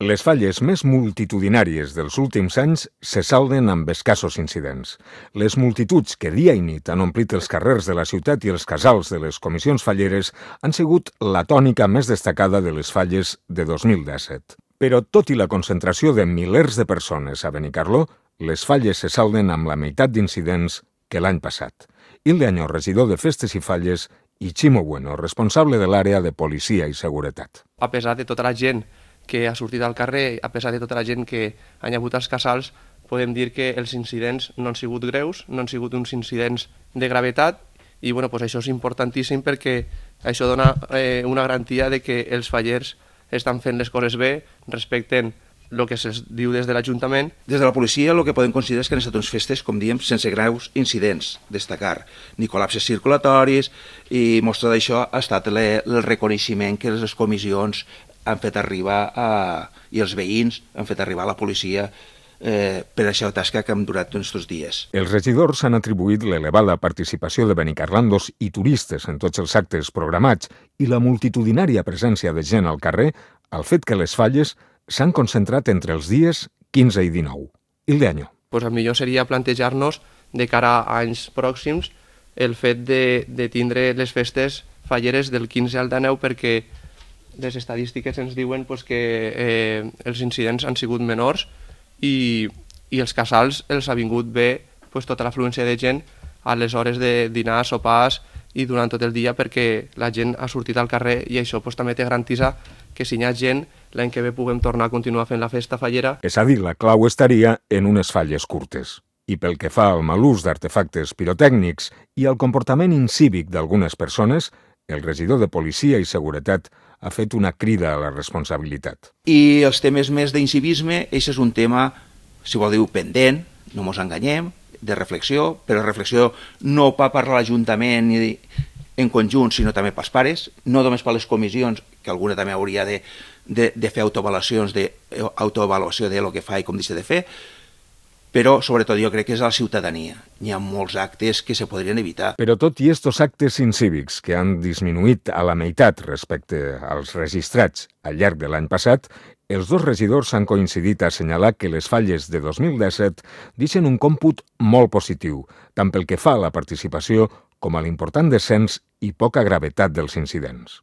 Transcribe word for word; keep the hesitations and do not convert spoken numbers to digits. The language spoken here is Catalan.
Les falles més multitudinàries dels últims anys se salden amb escassos incidents. Les multituds que dia i nit han omplit els carrers de la ciutat i els casals de les comissions falleres han sigut la tònica més destacada de les falles de dos mil disset. Però tot i la concentració de milers de persones a Benicarló, les falles se salden amb la meitat d'incidents que l'any passat. Hilde Añó, regidor de Festes i Falles, i Ximo Bueno, responsable de l'àrea de Policia i Seguretat. A pesar de tota la gent que ha sortit al carrer, a pesar de tota la gent que ha hagut als casals, podem dir que els incidents no han sigut greus, no han sigut uns incidents de gravetat, i bueno, pues això és importantíssim perquè això dona eh, una garantia de que els fallers estan fent les coses bé, respecten el que se'ls diu des de l'Ajuntament. Des de la policia el que podem considerar és que han estat unes festes, com diem, sense greus incidents, destacar, ni col·lapses circulatoris, i mostra d'això ha estat le, el reconeixement que les comissions han fet arribar a, i els veïns han fet arribar a la policia eh, per aquesta tasca que hem durat aquests dies. Els regidors han atribuït l'elevada participació de benicarlandos i turistes en tots els actes programats i la multitudinària presència de gent al carrer al fet que les falles s'han concentrat entre els dies quinze i dinou. Hilde Añó. Pues el millor seria plantejar-nos de cara a anys pròxims el fet de, de tindre les festes falleres del quinze al dinou perquè les estadístiques ens diuen pues, que eh, els incidents han sigut menors i, i els casals els ha vingut bé pues, tota l'afluència de gent a les hores de dinar, sopars i durant tot el dia perquè la gent ha sortit al carrer i això pues, també te garantitza que si hi ha gent l'any que ve puguem tornar a continuar fent la festa fallera. És a dir, la clau estaria en unes falles curtes. I pel que fa al mal ús d'artefactes pirotècnics i al comportament incívic d'algunes persones, el regidor de Policia i Seguretat ha fet una crida a la responsabilitat. I els temes més d'incivisme, això és un tema, si vol dir, pendent, no mos enganyem, de reflexió, però reflexió no pa per l'Ajuntament ni en conjunt, sinó també pels pares, no només per les comissions, que alguna també hauria de, de, de fer autoavaluacions de, autoavaluació de lo que fa i com deixa de fer, però sobretot jo crec que és a la ciutadania. Hi ha molts actes que se podrien evitar. Però tot i estos actes incívics que han disminuït a la meitat respecte als registrats al llarg de l'any passat, els dos regidors han coincidit a assenyalar que les falles de dos mil disset deixen un còmput molt positiu, tant pel que fa a la participació com a l'important descens i poca gravetat dels incidents.